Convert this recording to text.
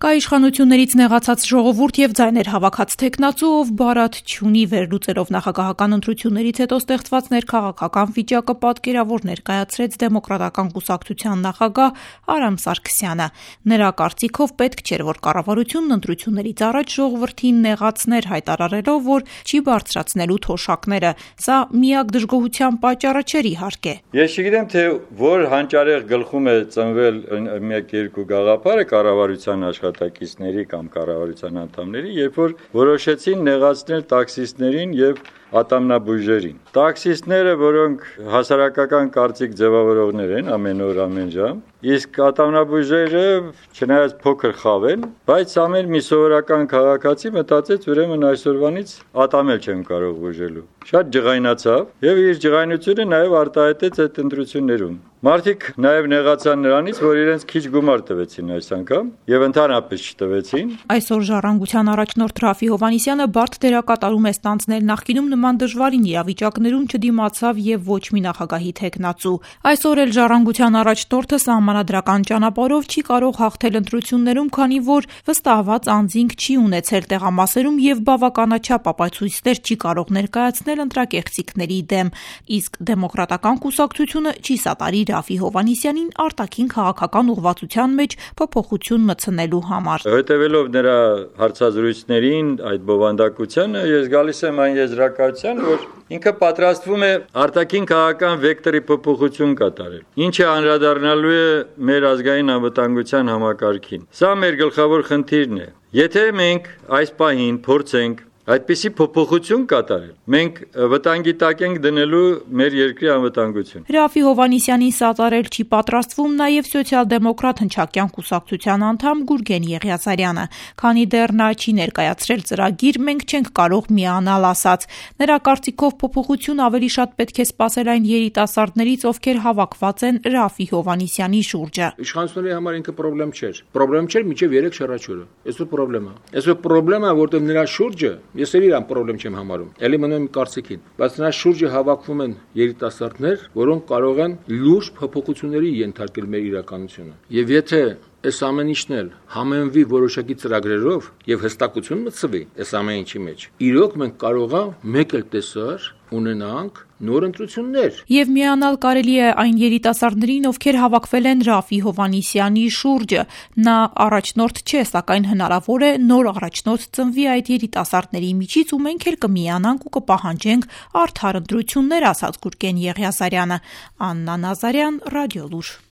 Կա իշխանություններից նեղացած ժողովուրդ եւ ձայներ հավաքած թեկնածու, ով բարատ չունի, վերլուծելով նախագահական ընտրություններից հետո ստեղծված ներքաղաքական վիճակը պատկերավոր ներկայացրեց Դեմոկրատական կուսակցության նախագահ Արամ Սարգսյանը։ Նրա կարծիքով պետք չէր, որ կառավարությունն ընտրություններից առաջ ժողովրդին նեղացներ, հայտարարելով, որ չի բարձրացնելու թոշակները։ Սա միակ դժգոհության պատճառը չէր, իհարկե։ Ես չգիտեմ, թե որ հանճարեղ գլխում է ծնվել մեկ-երկու գաղափարը կառավարության աշխատակիցների կամ կառավարության անդամների, երբ որ որոշեցին նեղացնել տաքսիստներին եւ ատամնաբույժերին։ Տաքսիստները, որոնք հասարակական կարծիք ձևավորողներ են ամեն օր, ամեն ժամ, իսկ ատամնաբույժերը, չնայած փոքր խավ են, բայց ամեն մի սովորական քաղաքացի մտածեց, ուրեմն այսօրվանից ատամել չեմ կարող բուժելու։ Շատ ջղայնացավ եւ իր ջղայնությունը նաեւ արտահայտեց այդ ընտրություններում։ Մարդիկ նաեւ նեղացան նրանից, որ իրենց քիչ գումար տվեցին այս անգամ եւ ընդհանրապես չտվեցին։ Այսօր Ժառանգության առաջնորդ Ռաֆի Հովհաննիսյանը բարդ դերակատարում է ստանձնել, նախկինում նման դժվարին իրավիճակներում չդիմացավ եւ ոչ մի նախագահի թեկնածու։ Այսօր էլ Ժառանգության առաջնորդը սահմանադրական ճանապարհով չի կարող հաղթել ընտրություններում, քանի որ վստահված անձինք չի ունեցել տեղամասերում եւ բավականաչափ ապացույցներ չի կարող ներկայացնել ընտրակեղծիքների դեմ, իսկ Դեմոկրատական կուսակցությունը չի սատարի Ռաֆի Հովհաննիսյանին արտաքին քաղաքական ուղղվածության մեջ փոփոխություն մտցնելու համար։ Հետևելով նրա հարցազրույցներին, այդ բովանդակությանը, ես գալիս եմ այն եզրակացության, որ ինքը պատրաստվում է արտաքին քաղաքական վեկտորի փոփոխություն կատարել, ինչը անդրադառնալու է մեր ազգային անվտանգության համակարգին։ Սա մեր գլխավոր խնդիրն է։ Եթե մենք այս պահին փորձենք այդպիսի փոփոխություն կատարել, մենք վտանգի տակ ենք դնելու մեր երկրի անվտանգությունը։ Ռաֆի Հովհաննիսյանին սատարել չի պատրաստվում նաև սոցիալ-դեմոկրատ հնչակյան կուսակցության անդամ Գուրգեն Եղիազարյանը, քանի դեռ նա չի ներկայացրել ծրագիր, մենք չենք կարող միանալ ասած։ Նրա կարծիքով փոփոխություն ավելի շատ պետք է սպասել այն երիտասարդներից, ովքեր հավաքված են Ռաֆի Հովհաննիսյանի շուրջը։ Իշխանությունների համար ինքը խնդրեմ չէր։ Խնդրեմ չէր մինչև 3 շրջանը։ Այսօր խնդրեմ է։ Այսօր խնդրեմ է, որտեղ նրա շուրջը ես էլ իրան խնդրեմ չեմ համարում։ Էլի մնում եմ կարծիքին, բայց նրա շուրջը հավաքվում են երիտասարդներ, որոնք կարող են լուրջ փոփոխությունների ենթարկել մեր իրականությունը։ Եվ եթե այս ամեն ինչն էլ համենվի որոշակի ծրագրերով եւ հստակություն մտցվի այս ամեն ինչի մեջ, իրոք մենք կարող ենք մեկ էլ տեսար ունենանք նոր ընտրություններ։ Եվ միանալ կարելի է այն երիտասարդներին, ովքեր հավաքվել են Ռաֆի Հովհաննիսյանի շուրջը։ Նա առաջնորդ չէ, սակայն հնարավոր է նոր առաջնորդ ծնվի այդ երիտասարդների միջից, ու մենք էլ կմիանանք ու կպահանջենք արդար ընտրություններ, ասաց Գուրգեն Եղիազարյանը։ Աննա Նազարյան, Ռադիոլուր։